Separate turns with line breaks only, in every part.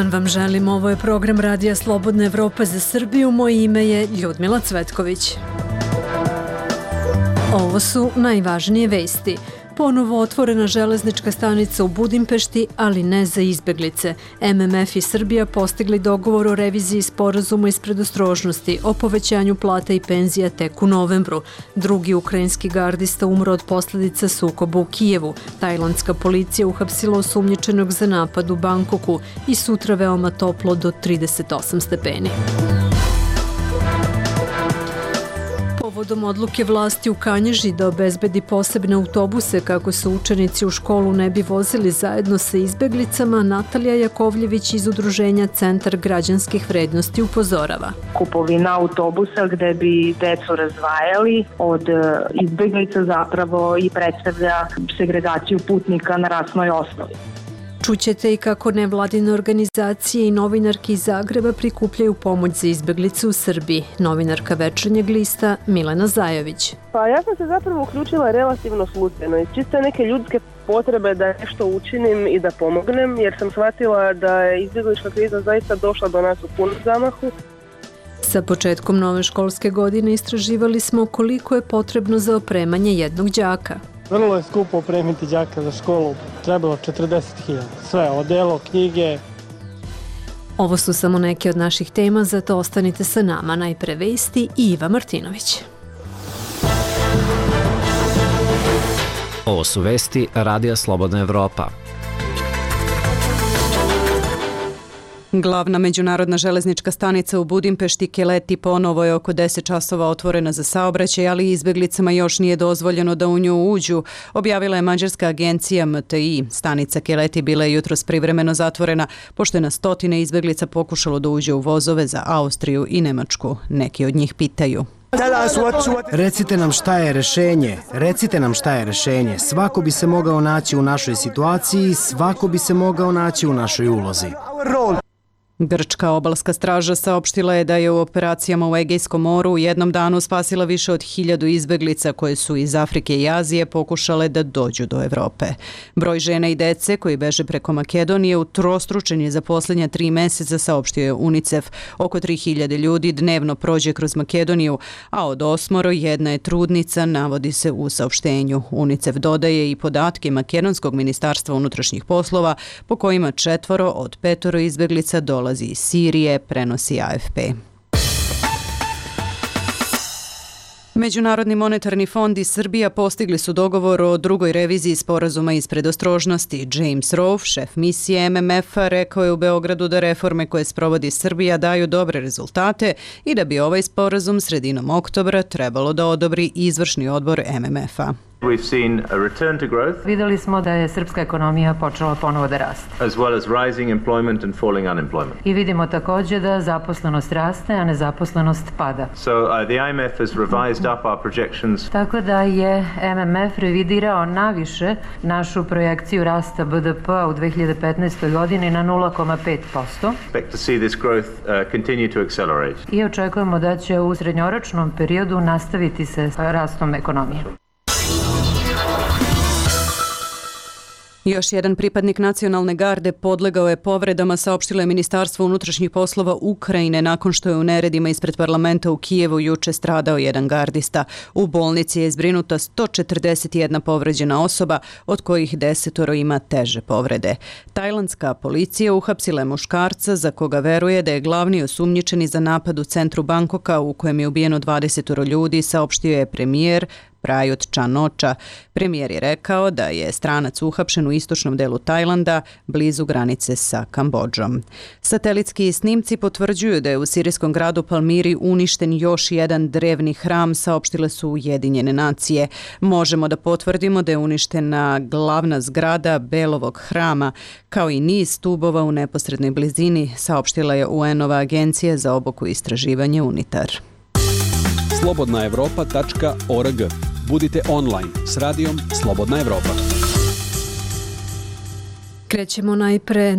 dan vam želim, ovo je program Radija Slobodna Evropa za Srbiju, moje ime je Ljudmila Cvetković. Ovo su najvažnije vesti. Ponovo otvorena železnička stanica u Budimpešti, ali ne za izbeglice. MMF i Srbija postigli dogovor o reviziji sporazuma iz predostrožnosti o povećanju plata i penzija tek u novembru. Drugi ukrajinski gardista umro od posljedica sukoba u Kijevu. Tajlandska policija uhapsila osumnjičenog za napad u Bangkoku i sutra veoma toplo do 38 stepeni. Povodom odluke vlasti u Kanjiži da obezbedi posebne autobuse kako se učenici u školu ne bi vozili zajedno sa izbeglicama, Natalija Jakovljević iz udruženja Centar građanskih vrednosti upozorava.
Kupovina autobusa gde bi decu razdvajali od izbeglica zapravo i predstavlja segregaciju putnika na rasnoj osnovi.
Čućete i kako nevladine organizacije i novinarki iz Zagreba prikupljaju pomoć za izbeglice u Srbiji. Novinarka Večernjeg lista Milena Zajović.
Pa ja sam se zapravo uključila relativno slučajno iz čiste neke ljudske potrebe da nešto učinim i da pomognem, jer sam shvatila da je izbjeglička kriza zaista došla do nas u punom zamahu.
Sa početkom nove školske godine istraživali smo koliko je potrebno za opremanje jednog đaka.
Vrlo je skupo opremiti đaka za školu, trebalo 40.000. Sve, odelo, knjige.
Ovo su samo neke od naših tema, zato ostanite sa nama. Najpre vesti i Iva Martinović.
Ovo su vesti Radija Slobodna Evropa.
Glavna međunarodna železnička stanica u Budimpešti Keleti ponovo je oko 10 časova otvorena za saobraćaj, ali izbeglicama još nije dozvoljeno da u nju uđu, objavila je mađarska agencija MTI. Stanica Keleti bila je jutros privremeno zatvorena, pošto je na stotine izbeglica pokušalo da uđe u vozove za Austriju i Nemačku. Neki od njih pitaju.
Recite nam šta je rešenje. Svako bi se mogao naći u našoj situaciji, svako bi se mogao naći u našoj ulozi.
Grčka obalska straža saopštila je da je u operacijama u Egejskom moru u jednom danu spasila više od 1000 izbeglica koje su iz Afrike i Azije pokušale da dođu do Evrope. Broj žena i dece koji beže preko Makedonije utrostručen je za posljednja 3 meseca, saopštio je UNICEF. Oko 3000 ljudi dnevno prođe kroz Makedoniju, a od 8 jedna je trudnica, navodi se u saopštenju. UNICEF dodaje i podatke Makedonskog ministarstva unutrašnjih poslova po kojima 4 od 5 izbeglica dolazi iz Sirije, prenosi AFP. Međunarodni monetarni fond i Srbija postigli su dogovor o drugoj reviziji sporazuma iz predostrožnosti. James Rowe, šef misije MMF-a, rekao je u Beogradu da reforme koje sprovodi Srbija daju dobre rezultate i da bi ovaj sporazum sredinom oktobra trebalo da odobri izvršni odbor MMF-a.
We've seen a return to growth.
Videli smo da je srpska ekonomija počela ponovo da raste.
As well as rising employment and falling unemployment.
I vidimo također da zaposlenost raste, a nezaposlenost pada.
So the IMF has revised up our projections.
Tako da je MMF revidirao naviše našu projekciju rasta BDP-a u 2015. godini na 0,5%.
Expect to see this growth continue to accelerate.
I očekujemo da će u srednjoročnom periodu nastaviti se rastom ekonomije.
Još jedan pripadnik nacionalne garde podlegao je povredama, saopštilo je Ministarstvo unutrašnjih poslova Ukrajine nakon što je u neredima ispred parlamenta u Kijevu juče stradao jedan gardista. U bolnici je zbrinuta 141 povređena osoba, od kojih 10 ima teže povrede. Tajlandska policija uhapsila je muškarca za koga veruje da je glavni osumnjičeni za napad u centru Bangkoka u kojem je ubijeno 20 ljudi, saopštio je premijer Prayut Chan-ocha. Premijer je rekao da je stranac uhapšen u istočnom delu Tajlanda, blizu granice sa Kambodžom. Satelitski snimci potvrđuju da je u sirijskom gradu Palmiri uništen još jedan drevni hram, saopštile su Ujedinjene nacije. Možemo da potvrdimo da je uništena glavna zgrada Belovog hrama, kao i niz stubova u neposrednoj blizini, saopštila je UN-ova agencija za obuku i istraživanje UNITAR.
slobodnaevropa.org. Budite online s radijom Slobodna Evropa.
Krećemo najpre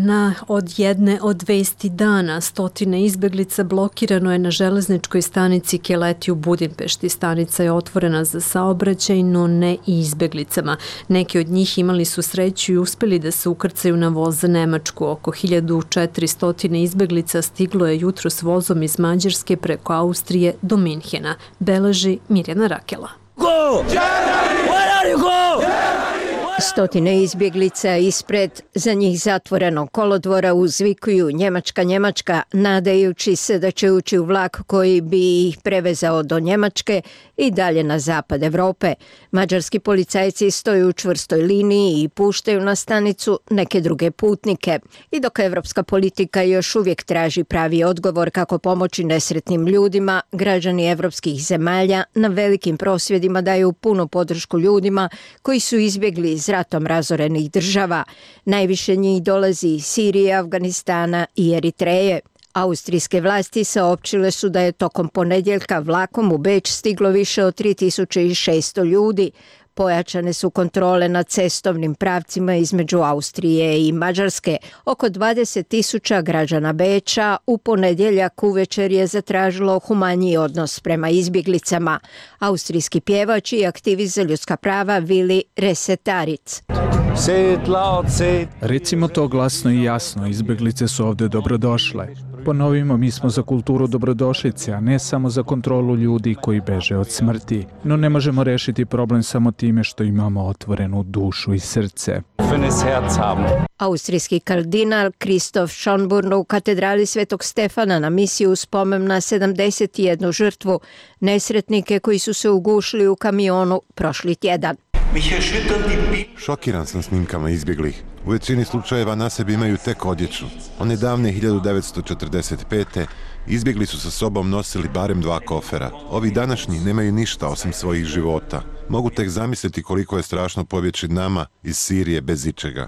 od jedne od vesti dana. Stotine izbeglica blokirano je na železničkoj stanici Keleti u Budimpešti. Stanica je otvorena za saobraćaj, no ne i izbeglicama. Neki od njih imali su sreću i uspeli da se ukrcaju na voz za Nemačku. Oko 1400 izbeglica stiglo je jutros vozom iz Mađarske preko Austrije do Minhena. Beleži Mirjana Rakela.
Go! Where are you go? Stotine izbjeglica ispred za njih zatvorenog kolodvora uzvikuju Njemačka, Njemačka, nadajući se da će ući u vlak koji bi ih prevezao do Njemačke i dalje na zapad Evrope. Mađarski policajci stoju u čvrstoj liniji i puštaju na stanicu neke druge putnike. I dok evropska politika još uvijek traži pravi odgovor kako pomoći nesretnim ljudima, građani evropskih zemalja na velikim prosvjedima daju punu podršku ljudima koji su izbjegli iz ratom razorenih država. Najviše njih dolazi iz Sirije, Afganistana i Eritreje. Austrijske vlasti saopćile su da je tokom ponedjeljka vlakom u Beč stiglo više od 3600 ljudi. Pojačane su kontrole na cestovnim pravcima između Austrije i Mađarske. Oko 20.000 građana Beča u ponedjeljak uvečer je zatražilo humaniji odnos prema izbjeglicama. Austrijski pjevač i aktivist za ljudska prava Vili Resetaric.
Recimo to glasno i jasno, izbjeglice su ovdje dobrodošle. Ponovimo, mi smo za kulturu dobrodošlice, a ne samo za kontrolu ljudi koji beže od smrti. No ne možemo rešiti problem samo time što imamo otvorenu dušu i srce.
Austrijski kardinal Kristof Schönborn u katedrali Svetog Stefana na misiju spomen na 71 žrtvu, nesretnike koji su se ugušili u kamionu prošli tjedan.
Šokiran sam snimkama izbjeglih. U većini slučajeva na sebi imaju tek odjeću. One davne 1945. izbjegli su sa sobom nosili barem 2 kofera. Ovi današnji nemaju ništa osim svojih života. Mogu tek zamisliti koliko je strašno pobjeći nama iz Sirije bez ičega.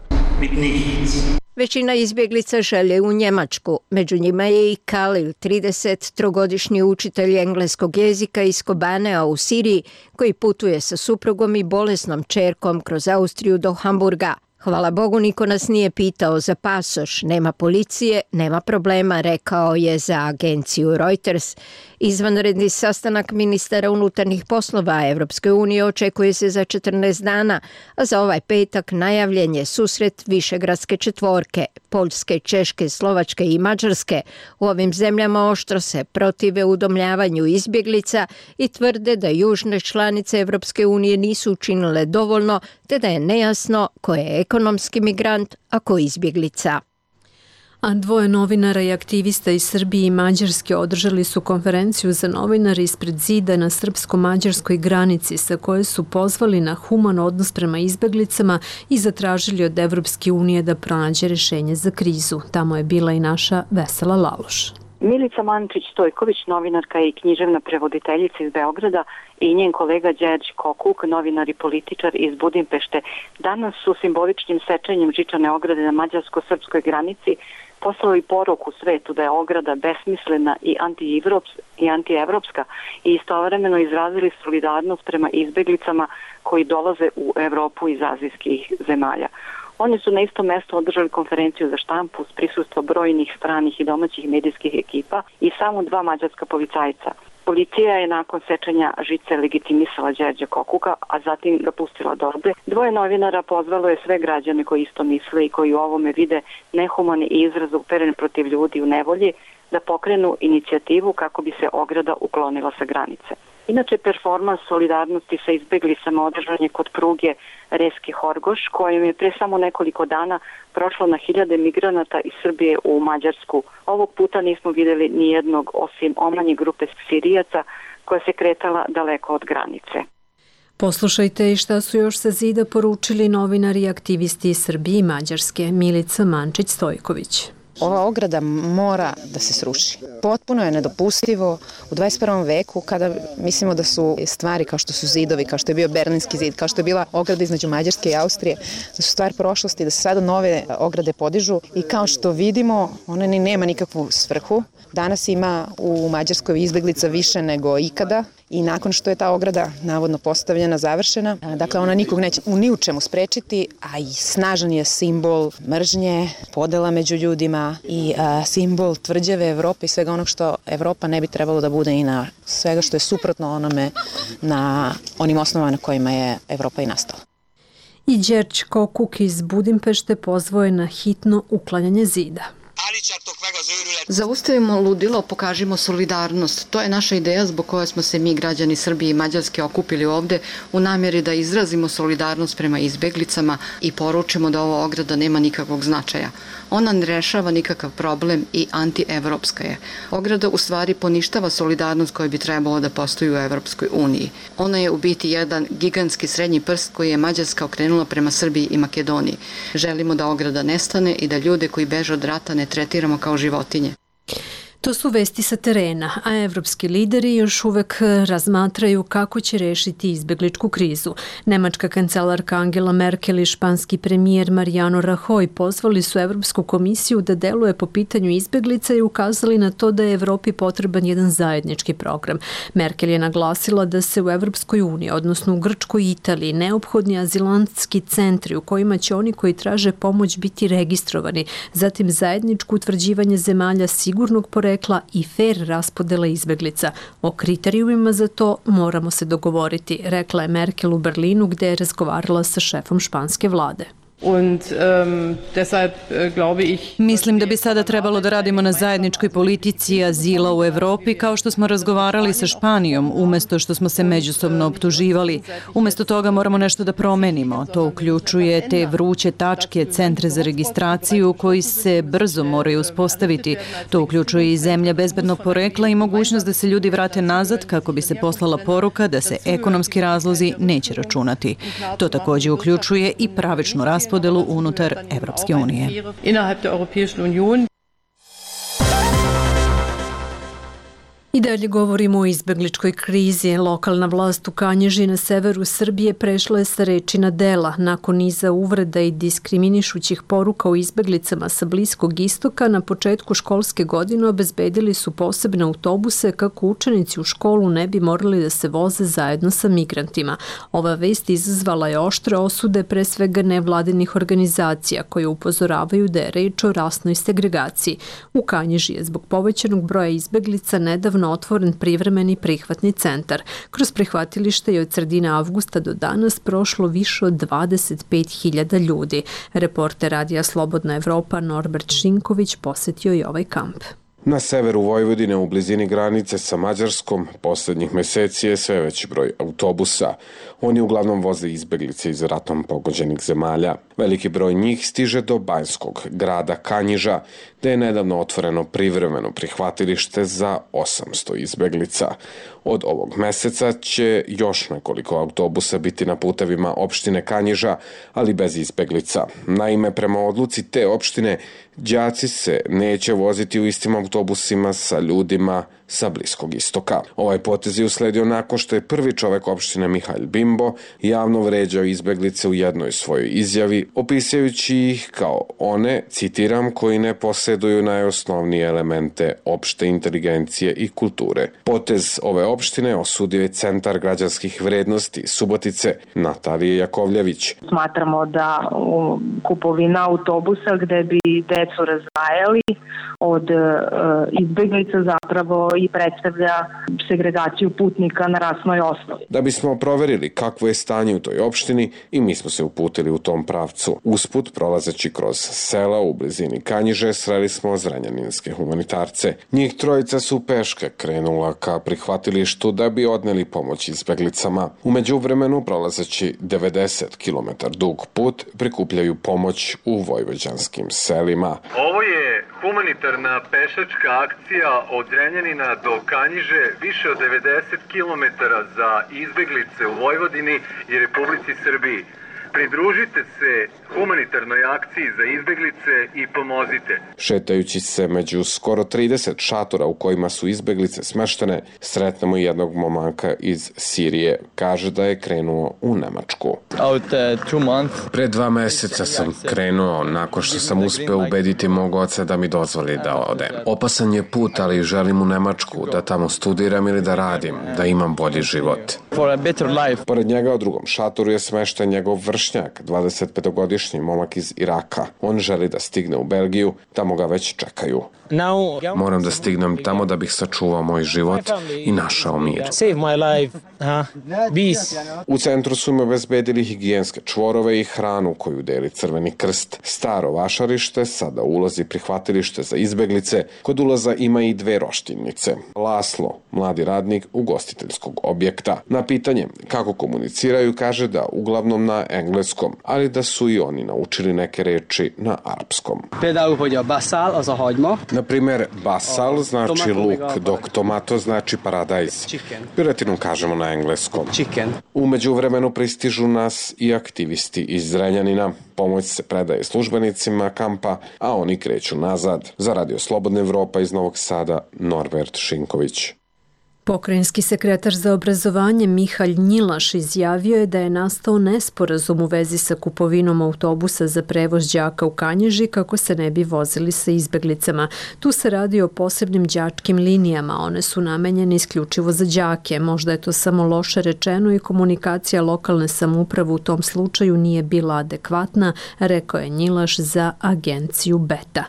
Većina izbjeglica žele u Njemačku. Među njima je i Kalil, 33-godišnji učitelj engleskog jezika iz Kobanea u Siriji, koji putuje sa suprugom i bolesnom ćerkom kroz Austriju do Hamburga. Hvala Bogu, niko nas nije pitao za pasoš, nema policije, nema problema, rekao je za agenciju Reuters. Izvanredni sastanak ministara unutarnjih poslova Evropske unije očekuje se za 14 dana, a za ovaj petak najavljen je susret Višegradske četvorke, Poljske, Češke, Slovačke i Mađarske. U ovim zemljama oštro se protive udomljavanju izbjeglica i tvrde da južne članice Evropske unije nisu učinile dovoljno, te da je nejasno ko je ekonomski migrant, a ko izbjeglica.
A 2 novinara i aktivista iz Srbije i Mađarske održali su konferenciju za novinare ispred zida na srpsko-mađarskoj granici sa koje su pozvali na human odnos prema izbeglicama i zatražili od Evropske unije da pronađe rješenje za krizu. Tamo je bila i naša Vesela Laloš.
Milica Mančić-Stojković, novinarka i književna prevoditeljica iz Beograda, i njen kolega Đerđ Kokuk, novinar i političar iz Budimpešte, danas su simboličnim sečenjem žičane ograde na mađarsko-srpskoj granici poslali poruku svetu da je ograda besmislena i antievropska i istovremeno izrazili solidarnost prema izbeglicama koji dolaze u Evropu iz azijskih zemalja. Oni su na istom mjestu održali konferenciju za štampu s prisustvom brojnih stranih i domaćih medijskih ekipa i samo 2 mađarska policajca. Policija je nakon sečenja žice legitimisala Đerđa Kokuka, a zatim ga pustila do robe. 2 novinara pozvalo je sve građane koji isto misle i koji u ovome vide nehumani i izraz uperen protiv ljudi u nevolji da pokrenu inicijativu kako bi se ograda uklonila sa granice. Inače, performans solidarnosti sa izbeglicama održan je kod pruge Reski-Horgoš, kojim je pre samo nekoliko dana prošlo na 1000 migranata iz Srbije u Mađarsku. Ovog puta nismo vidjeli ni jednog osim omanje grupe Sirijaca koja se kretala daleko od granice.
Poslušajte i šta su još sa zida poručili novinari i aktivisti iz Srbije i Mađarske. Milica Mančić-Stojković.
Ova ograda mora da se sruši. Potpuno je nedopustivo u 21. veku kada mislimo da su stvari kao što su zidovi, kao što je bio Berlinski zid, kao što je bila ograda između Mađarske i Austrije, da su stvar prošlosti, da se sada nove ograde podižu i kao što vidimo, ona ni nema nikakvu svrhu. Danas ima u Mađarskoj izbeglica više nego ikada i nakon što je ta ograda navodno postavljena, završena, dakle ona nikog neće ni u čemu sprečiti, a i snažan je simbol mržnje, podela među ljudima i simbol tvrđave Evrope i svega onog što Evropa ne bi trebalo da bude i na svega što je suprotno onome na onim osnovama na kojima je Evropa i nastala.
I Đerđ Kokuk iz Budimpešte pozvao je na hitno uklanjanje zida.
Zaustavimo ludilo, pokažimo solidarnost. To je naša ideja zbog koje smo se mi, građani Srbije i Mađarske, okupili ovde u namjeri da izrazimo solidarnost prema izbeglicama i poručimo da ova ograda nema nikakvog značaja. Ona ne rešava nikakav problem i antievropska je. Ograda u stvari poništava solidarnost koja bi trebalo da postoji u Evropskoj uniji. Ona je u biti jedan gigantski srednji prst koji je Mađarska okrenula prema Srbiji i Makedoniji. Želimo da ograda nestane i da ljude koji beže od rata ne tretiramo kao životinje.
To su vesti sa terena, a evropski lideri još uvek razmatraju kako će rešiti izbegličku krizu. Nemačka kancelarka Angela Merkel i španski premijer Mariano Rajoy pozvali su Evropsku komisiju da deluje po pitanju izbeglica i ukazali na to da je Evropi potreban jedan zajednički program. Merkel je naglasila da se u Evropskoj uniji, odnosno u Grčkoj i Italiji, neophodni azilantski centri u kojima će oni koji traže pomoć biti registrovani, zatim zajedničko utvrđivanje zemalja sigurnog porekla i fer raspodela izbeglica. O kriterijumima za to moramo se dogovoriti, rekla je Merkel u Berlinu gde je razgovarala sa šefom španske vlade.
Mislim da bi sada trebalo da radimo na zajedničkoj politici azila u Evropi kao što smo razgovarali sa Španijom, umesto što smo se međusobno optuživali. Umesto toga moramo nešto da promenimo. To uključuje te vruće tačke, centre za registraciju koji se brzo moraju uspostaviti. To uključuje i zemlja bezbednog porekla i mogućnost da se ljudi vrate nazad kako bi se poslala poruka da se ekonomski razlozi neće računati. To također uključuje i pravičnu raspodelu unutar Evropske unije.
I dalje govorimo o izbegličkoj krizi. Lokalna vlast u Kanjiži na severu Srbije prešla je sa reči na dela. Nakon niza uvreda i diskriminišućih poruka o izbeglicama sa Bliskog istoka, na početku školske godine obezbedili su posebne autobuse kako učenici u školu ne bi morali da se voze zajedno sa migrantima. Ova vest izazvala je oštre osude pre svega nevladinih organizacija koje upozoravaju da je reč o rasnoj segregaciji. U Kanjiži je zbog povećanog broja izbeglica nedavno otvoren privremeni prihvatni centar. Kroz prihvatilište je od sredine avgusta do danas prošlo više od 25.000 ljudi. Reporter Radija Slobodna Evropa Norbert Šinković posetio je ovaj kamp.
Na severu Vojvodine, u blizini granice sa Mađarskom, poslednjih meseci je sve veći broj autobusa. Oni uglavnom voze izbeglice iz ratom pogođenih zemalja. Veliki broj njih stiže do banjskog grada Kanjiža, gde je nedavno otvoreno privremeno prihvatilište za 800 izbeglica. Od ovog meseca će još nekoliko autobusa biti na putevima opštine Kanjiža, ali bez izbeglica. Naime, prema odluci te opštine, đaci se neće voziti u istim autobusima sa ljudima sa Bliskog istoka. Ovaj potez je usledio nakon što je prvi čovek opštine Mihalj Bimbo javno vređao izbeglice u jednoj svojoj izjavi, opisujući ih kao one, citiram, koji ne posjeduju najosnovnije elemente opšte inteligencije i kulture. Potez ove opštine osudio je Centar građanskih vrednosti Subotice Natalije Jakovljević.
Smatramo da kupovina autobusa gde bi decu razdvajali od izbeglica zapravo i predstavlja segregaciju putnika na rasnoj osnovi.
Da bismo proverili kakvo je stanje u toj opštini i mi smo se uputili u tom pravcu. Usput, prolazeći kroz sela u blizini Kanjiže, sreli smo zrenjaninske humanitarce. Njih trojica su peške krenula ka prihvatilištu da bi odneli pomoć izbeglicama. U međuvremenu, prolazeći 90 km dug put, prikupljaju pomoć u vojvođanskim selima.
Ovo je humanitarna pešačka akcija od Zrenjanina do Kanjiže, više od 90 km za izbeglice u Vojvodini i Republici Srbiji. Pridružite se humanitarnoj akciji za izbeglice i pomozite.
Šetajući se među skoro 30 šatora u kojima su izbeglice smeštene, sretnemo jednog momaka iz Sirije. Kaže da je krenuo u Nemačku. Pre 2 meseca sam krenuo nakon što sam uspeo ubediti mog oca da mi dozvoli da odem. Opasan je put, ali želim u Nemačku, da tamo studiram ili da radim, da imam bolji život. Pored njega u drugom šatoru je smešten njegov vršnjak, 25-godišnji momak iz Iraka. On želi da stigne u Belgiju, tamo ga već čekaju. Moram da stignem tamo da bih sačuvao moj život i našao mir. U centru su im obezbedili higijenske čvorove i hranu koju deli Crveni krst. Staro vašarište, sada ulazi prihvatilište za izbeglice, kod ulaza ima i 2 roštilnice. Laslo, mladi radnik ugostiteljskog objekta. Na pitanje kako komuniciraju kaže da uglavnom na engleskom, ali da su i oni naučili neke reči na arapskom. Na primer, basal znači luk, dok tomato znači paradajz. Piletinu kažemo na engleskom. U međuvremenu pristižu nas i aktivisti iz Zrenjanina. Pomoć se predaje službenicima kampa, a oni kreću nazad. Za Radio Slobodna Evropa iz Novog Sada, Norbert Šinković.
Pokrajinski sekretar za obrazovanje Mihalj Njilaš izjavio je da je nastao nesporazum u vezi sa kupovinom autobusa za prevoz đaka u Kanjiži kako se ne bi vozili sa izbeglicama. Tu se radi o posebnim đačkim linijama, one su namenjene isključivo za đake. Možda je to samo loše rečeno i komunikacija lokalne samouprave u tom slučaju nije bila adekvatna, rekao je Njilaš za agenciju Beta.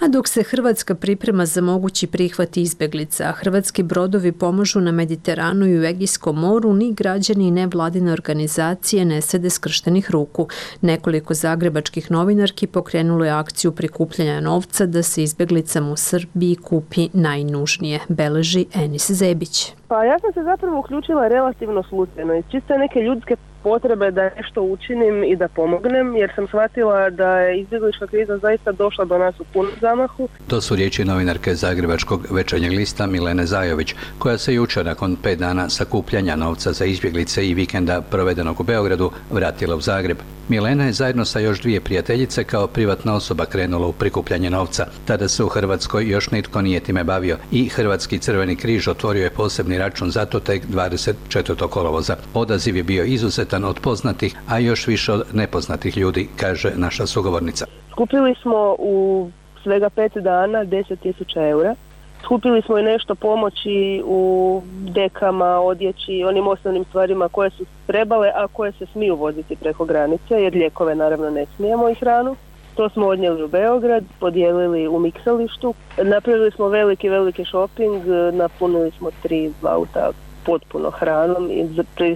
A dok se Hrvatska priprema za mogući prihvat izbeglica, a hrvatski brodovi pomažu na Mediteranu i u Egejskom moru, ni građani i nevladine organizacije ne sede skrštenih ruku. Nekoliko zagrebačkih novinarki pokrenulo je akciju prikupljanja novca da se izbeglicama u Srbiji kupi najnužnije, beleži Enis Zebić.
Pa ja sam se zapravo uključila relativno slučajno iz čiste neke ljudske potrebe da nešto učinim i da pomognem, jer sam shvatila da je izbjeglička kriza zaista došla do nas u punom zamahu.
To su riječi novinarke Zagrebačkog Večernjeg lista Milene Zajović, koja se jučer nakon 5 dana sakupljanja novca za izbjeglice i vikenda provedenog u Beogradu vratila u Zagreb. Milena je zajedno sa još 2 prijateljice kao privatna osoba krenula u prikupljanje novca. Tada se u Hrvatskoj još nitko nije time bavio i Hrvatski Crveni križ otvorio je posebni račun za to tek 24. kolovoza. Odaziv je bio izuzetan od poznatih, a još više od nepoznatih ljudi, kaže naša sugovornica.
Skupili smo u svega 5 dana 10.000 eura. Skupili smo i nešto pomoći u dekama, odjeći, onim osnovnim stvarima koje su trebale, a koje se smiju voziti preko granice, jer lijekove naravno ne smijemo i hranu. To smo odnijeli u Beograd, podijelili u miksalištu. Napravili smo veliki shopping, napunili smo 3 auta potpuno hranom i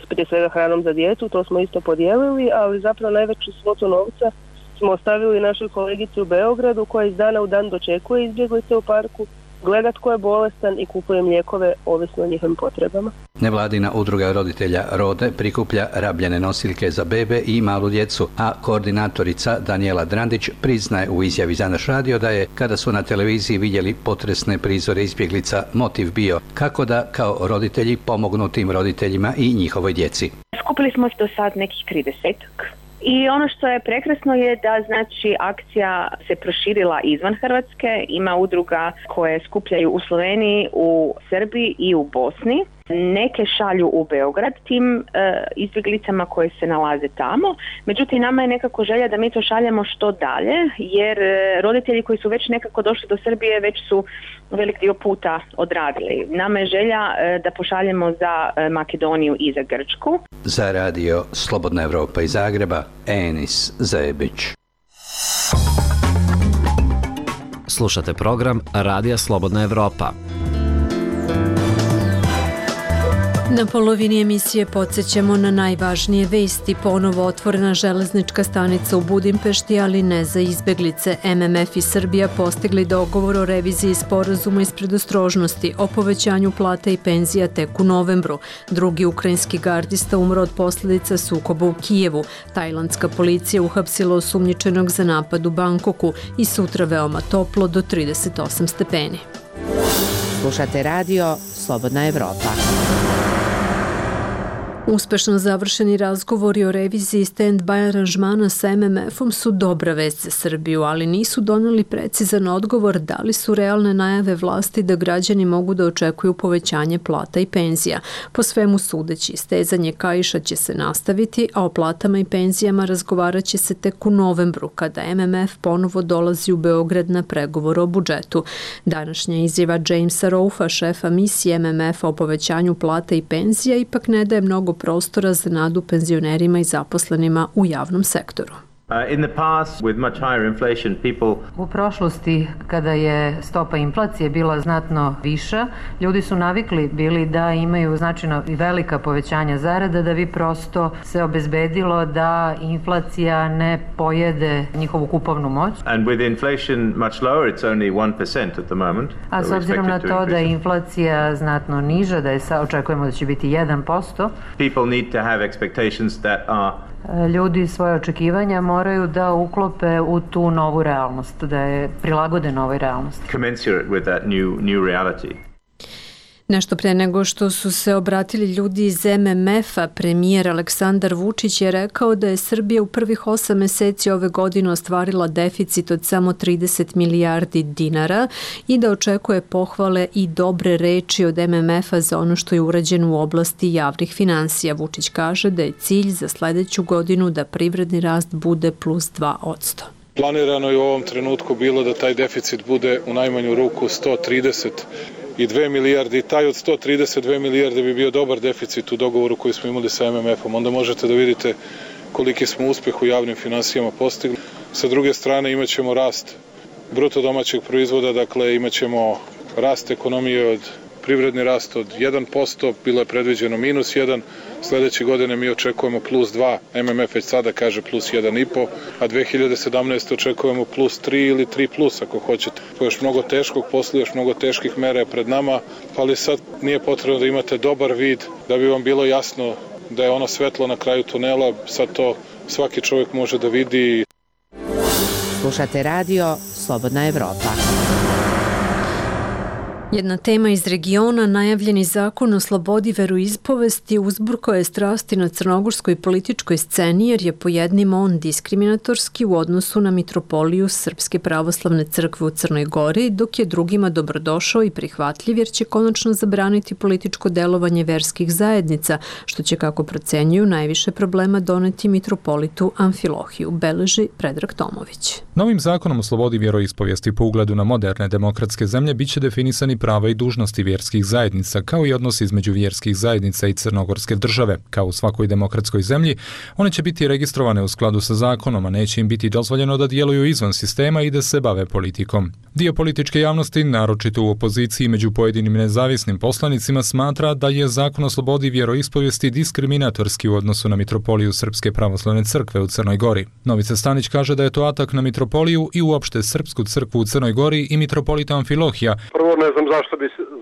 prije svega hranom za djecu, to smo isto podijelili, ali zapravo najveću svotu novca smo ostavili našoj kolegici u Beogradu koja iz dana u dan dočekuje izbjeglice u parku, gleda tko je bolestan i kupuje lijekove ovisno o njihovim potrebama.
Nevladina udruga roditelja Rode prikuplja rabljene nosiljke za bebe i malu djecu, a koordinatorica Daniela Drandić priznaje u izjavi za naš radio da je, kada su na televiziji vidjeli potresne prizore izbjeglica, motiv bio kako da kao roditelji pomognu tim roditeljima i njihovoj djeci.
Skupili smo do sad nekih 30. I ono što je prekrasno je da znači akcija se proširila izvan Hrvatske, ima udruga koje skupljaju u Sloveniji, u Srbiji i u Bosni. Neke šalju u Beograd tim izbjeglicama koje se nalaze tamo, međutim nama je nekako želja da mi to šaljemo što dalje, jer roditelji koji su već nekako došli do Srbije već su velik dio puta odradili. Nama je želja da pošaljemo za Makedoniju i za Grčku.
Za radio Slobodna Evropa iz Zagreba, Enis Zebić.
Slušate program Radija Slobodna Evropa.
Na polovini emisije podsjećamo na najvažnije vesti. Ponovo otvorena železnička stanica u Budimpešti, ali ne za izbeglice. MMF i Srbija postigli dogovor o reviziji sporazuma iz predostrožnosti, o povećanju plata i penzija tek u novembru. Drugi ukrajinski gardista umro od posljedica sukoba u Kijevu. Tajlandska policija uhapsila osumnjičenog za napad u Bangkoku i sutra veoma toplo do 38 stepeni.
Slušate radio Slobodna Evropa.
Uspešno završeni razgovori o reviziji stand-by aranžmana sa MMF-om su dobra vest za Srbiju, ali nisu doneli precizan odgovor da li su realne najave vlasti da građani mogu da očekuju povećanje plata i penzija. Po svemu sudeći, stezanje kaiša će se nastaviti, a o platama i penzijama razgovarat će se tek u novembru, kada MMF ponovo dolazi u Beograd na pregovor o budžetu. Današnja izjava Jamesa Roufa, šefa misije MMF-a o povećanju plata i penzija, ipak ne daje mnogo prostora za nadu penzionerima i zaposlenima u javnom sektoru.
U prošlosti, kada je stopa inflacije bila znatno viša, ljudi su navikli bili da imaju značajno i velika povećanja zarada da bi prosto se obezbedilo da inflacija ne pojede njihovu kupovnu moć. A s obzirom na to da je inflacija znatno niža, da je očekujemo da će biti 1%, ljudi svoje očekivanja moraju da uklope u tu novu realnost, da je prilagode novoj realnosti.
Nešto pre nego što su se obratili ljudi iz MMF-a, premijer Aleksandar Vučić je rekao da je Srbija u prvih 8 meseci ove godine ostvarila deficit od samo 30 milijardi dinara i da očekuje pohvale i dobre reči od MMF-a za ono što je urađeno u oblasti javnih finansija. Vučić kaže da je cilj za sledeću godinu da privredni rast bude plus 2%.
Planirano je u ovom trenutku bilo da taj deficit bude u najmanju ruku 132 milijarde i taj od 132 milijarde bi bio dobar deficit u dogovoru koji smo imali sa MMF-om. Onda možete da vidite koliki smo uspeh u javnim finansijama postigli. Sa druge strane imat ćemo rast bruto domaćeg proizvoda, dakle imat ćemo rast ekonomije od privredni rast od 1%, bilo je predviđeno -1, sledeće godine mi očekujemo plus 2, MMF već sada kaže plus 1,5, a 2017. očekujemo plus 3 ili 3 plus ako hoćete. To je još mnogo teškog posla, još mnogo teških mera je pred nama, ali sad nije potrebno da imate dobar vid da bi vam bilo jasno da je ono svetlo na kraju tunela, sad to svaki čovjek može da vidi.
Slušate radio Slobodna Evropa.
Jedna tema iz regiona, najavljeni zakon o slobodi veroispovesti, uzburkao je strasti na crnogorskoj političkoj sceni jer je po jednim on diskriminatorski u odnosu na mitropoliju Srpske pravoslavne crkve u Crnoj Gori, dok je drugima dobrodošao i prihvatljiv jer će konačno zabraniti političko delovanje verskih zajednica, što će, kako procenjuju, najviše problema doneti mitropolitu Amfilohiju, beleži Predrag Tomović.
Novim zakonom o slobodi vjeroispovijesti po ugledu na moderne demokratske zemlje biće definisani prava i dužnosti vjerskih zajednica, kao i odnosi između vjerskih zajednica i crnogorske države. Kao u svakoj demokratskoj zemlji, one će biti registrovane u skladu sa zakonom, a neće im biti dozvoljeno da djeluju izvan sistema i da se bave politikom. Dio političke javnosti, naročito u opoziciji među pojedinim nezavisnim poslanicima, smatra da je zakon o slobodi vjeroispovijesti diskriminatorski u odnosu na mitropoliju Srpske pravoslavne crkve u Crnoj Gori. Novica Stanić kaže da je to atak na mitropoliju i uopšte Srpsku crkvu u Crnoj Gori i mitropolita Amfilohija.
Prvo ne znam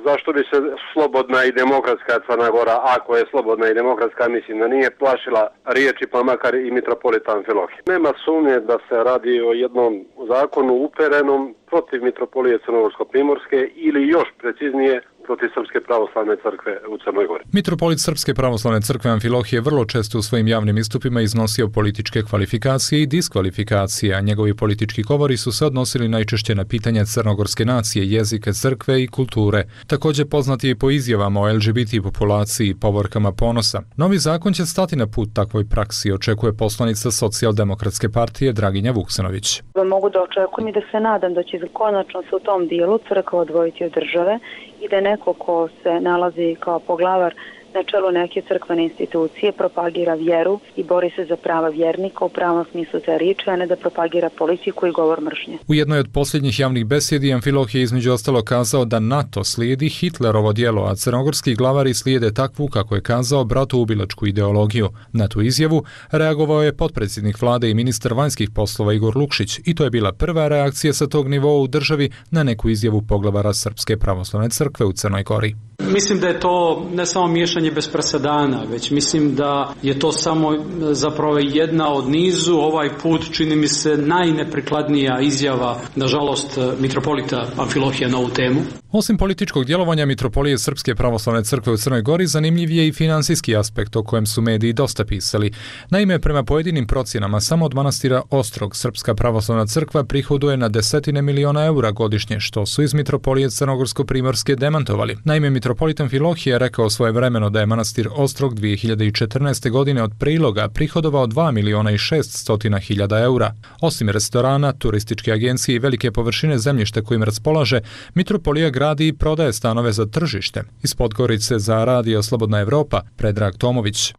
zašto bi se slobodna i demokratska Crna Gora, ako je slobodna i demokratska, mislim da nije plašila riječi pa makar i mitropolita Amfilohija. Nema sumnje da se radi o jednom zakonu uperenom protiv mitropolije Crnogorsko-Primorske ili još preciznije protiv Srpske pravoslavne crkve u Crnoj Gori.
Mitropolit Srpske pravoslavne crkve Amfilohije vrlo često u svojim javnim istupima iznosio političke kvalifikacije i diskvalifikacije, a njegovi politički govori su se odnosili najčešće na pitanja crnogorske nacije, jezika, crkve i kulture. Također poznat je i po izjavama o LGBT populaciji i povorkama ponosa. Novi zakon će stati na put takvoj praksi, očekuje poslanica Socijaldemokratske partije Draginja Vuksanović.
Mogu da očekujem i da se nadam da će konačno se u tom dijelu crkva odvojiti od države i da neko ko se nalazi kao poglavar na čelu neke crkvene institucije propagira vjeru i bori se za prava vjernika u pravom smislu te riječi, a ne da propagira politiku i govor mržnje.
U jednoj od posljednjih javnih besjedi Amfiloh je između ostalo kazao da NATO slijedi Hitlerovo djelo, a crnogorski glavari slijede takvu, kako je kazao, bratoubilačku ideologiju. Na tu izjavu reagovao je potpredsjednik vlade i ministar vanjskih poslova Igor Lukšić i to je bila prva reakcija sa tog nivoa u državi na neku izjavu poglavara Srpske pravoslavne crkve u Crnoj Gori.
Mislim da je to ne samo miješanje bez presedana, već mislim da je to samo zapravo jedna od nizu. Ovaj put čini mi se najneprikladnija izjava, nažalost, mitropolita Amfilohija na ovu temu.
Osim političkog djelovanja Mitropolije Srpske pravoslavne crkve u Crnoj Gori, zanimljiv je i finansijski aspekt o kojem su mediji dosta pisali. Naime, prema pojedinim procjenama, samo od manastira Ostrog Srpska pravoslavna crkva prihoduje na desetine miliona eura godišnje, što su iz Mitropolije Crnogorsko-primorske demantovali. Naime, mitropolit Amfilohije rekao svojevremeno da je manastir Ostrog 2014. godine od priloga prihodovao 2.600.000 eura. Osim restorana, turističke agencije i velike površine zemljišta kojim raspolaže, Mitropolija gradi i prodaje stanove za tržište. Iz Podgorice za Radio Slobodna Evropa, Predrag Tomović.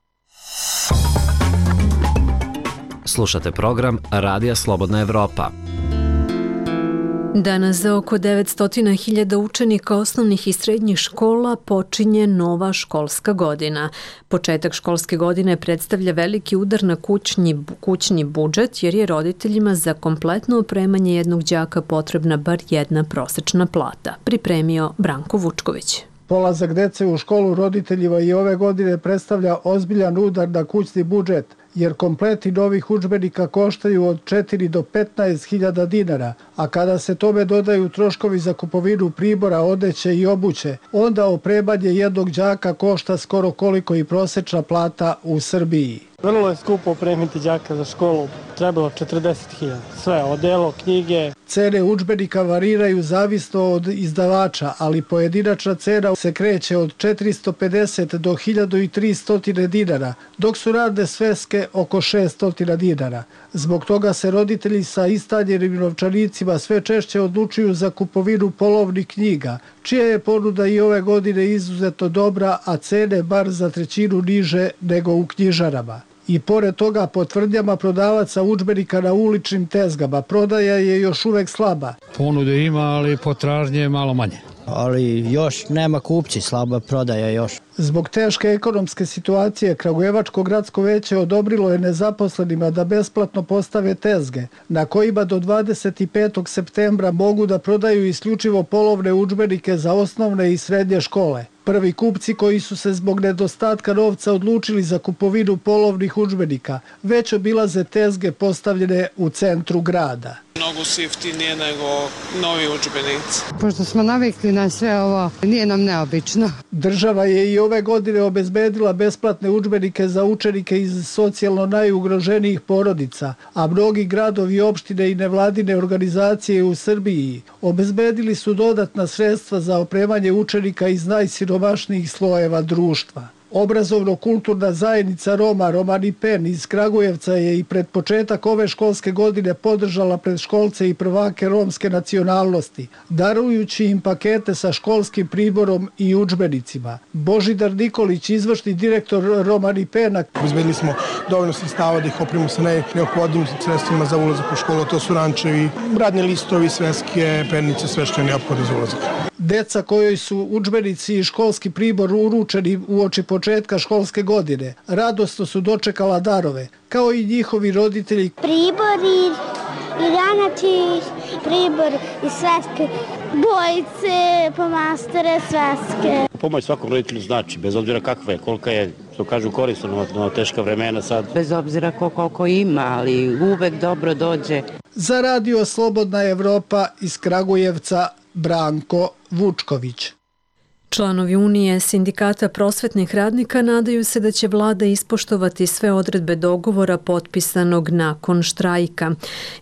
Slušate program Radija Slobodna Evropa.
Danas za oko 900.000 učenika osnovnih i srednjih škola počinje nova školska godina. Početak školske godine predstavlja veliki udar na kućni budžet jer je roditeljima za kompletno opremanje jednog đaka potrebna bar jedna prosečna plata. Pripremio Branko Vučković.
Polazak dece u školu roditeljima i ove godine predstavlja ozbiljan udar na kućni budžet, jer kompleti novih udžbenika koštaju od 4 do 15.000 dinara, a kada se tome dodaju troškovi za kupovinu pribora, odeće i obuće, onda opremanje jednog đaka košta skoro koliko i prosečna plata u Srbiji.
Vrlo je skupo opremiti đaka za školu, trebalo 40.000. Sve, odelo, knjige.
Cene udžbenika variraju zavisno od izdavača, ali pojedinačna cena se kreće od 450 do 1300 dinara, dok su radne sveske oko 600 dinara. Zbog toga se roditelji sa istanjenim novčanicima sve češće odlučuju za kupovinu polovnih knjiga, čija je ponuda i ove godine izuzetno dobra, a cene bar za trećinu niže nego u knjižarama. I pored toga, po tvrdnjama prodavaca udžbenika na uličnim tezgama, prodaja je još uvek slaba.
Ponude ima, ali potražnje je malo manje.
Ali još nema kupci, slaba prodaja još.
Zbog teške ekonomske situacije, Kragujevačko gradsko veće odobrilo je nezaposlenima da besplatno postave tezge, na kojima do 25. septembra mogu da prodaju isključivo polovne udžbenike za osnovne i srednje škole. Prvi kupci koji su se zbog nedostatka novca odlučili za kupovinu polovnih udžbenika već obilaze tezge postavljene u centru grada.
Mnogo su jeftinije nego novi udžbenici.
Pošto smo navikli na sve ovo, nije nam neobično.
Država je i ove godine obezbedila besplatne udžbenike za učenike iz socijalno najugroženijih porodica, a mnogi gradovi, opštine i nevladine organizacije u Srbiji obezbedili su dodatna sredstva za opremanje učenika iz najsiromašnijih slojeva društva. Obrazovno-kulturna zajednica Roma Romani Pen iz Kragujevca je i pred početak ove školske godine podržala predškolce i prvake romske nacionalnosti, darujući im pakete sa školskim priborom i udžbenicima. Božidar Nikolić, izvršni direktor Romani Pena.
Obezbedili smo dovoljno sredstava da ih opremimo sa neophodnim sredstvima za ulazak u školu, to su rančevi, radni listovi, sveske, pernice, sve što je neophodno za ulazak.
Deca kojoj su udžbenici i školski pribor uručeni uoči početka školske godine radosno su dočekala darove, kao i njihovi roditelji.
Pribori, i ranači, pribor i sveske, bojice, pomastore, sveske.
Pomoć svakom roditelju znači, bez obzira kakva je, kolika je, što kažu, korisno na teška vremena sad.
Bez obzira koliko ima, ali uvek dobro dođe.
Za Radio Slobodna Evropa iz Kragujevca, Branko Vučković.
Članovi Unije sindikata prosvetnih radnika nadaju se da će vlada ispoštovati sve odredbe dogovora potpisanog nakon štrajka.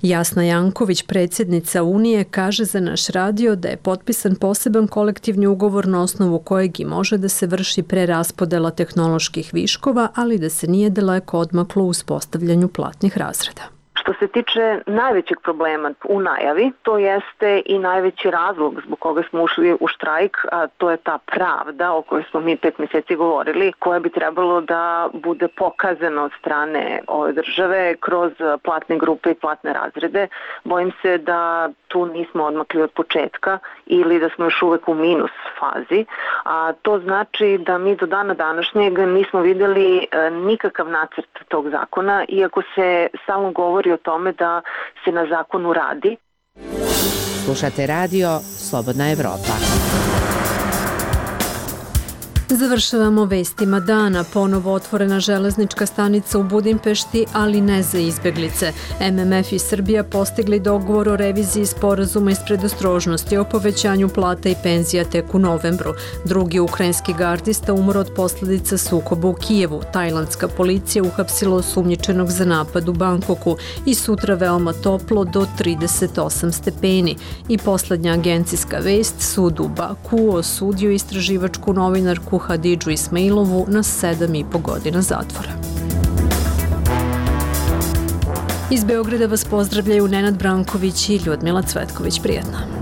Jasna Janković, predsjednica Unije, kaže za naš radio da je potpisan poseban kolektivni ugovor na osnovu kojeg i može da se vrši preraspodela tehnoloških viškova, ali da se nije daleko odmaklo u uspostavljanju platnih razreda.
Što se tiče najvećeg problema u najavi, to jeste i najveći razlog zbog koga smo ušli u štrajk, a to je ta pravda o kojoj smo mi 5 mjeseci govorili, koja bi trebalo da bude pokazana od strane ove države kroz platne grupe i platne razrede. Bojim se da tu nismo odmakli od početka ili da smo još uvek u minus fazi, a to znači da mi do dana današnjeg nismo vidjeli nikakav nacrt tog zakona, iako se stalno govori o tome da se na zakonu radi.
Slušate radio Slobodna Evropa.
Završavamo vestima dana. Ponovo otvorena železnička stanica u Budimpešti, ali ne za izbeglice. MMF i Srbija postigli dogovor o reviziji sporazuma iz predostrožnosti o povećanju plata i penzija tek u novembru. Drugi ukrajinski gardista umro od posljedica sukoba u Kijevu. Tajlandska policija uhapsila osumnjičenog za napad u Bangkoku i sutra veoma toplo do 38 stepeni. I poslednja agencijska vest, sud u Baku osudio istraživačku novinarku Hadidžu Ismailovu na 7,5 godina zatvora. Iz Beograda vas pozdravljaju Nenad Branković i Ljudmila Cvetković. Prijetno.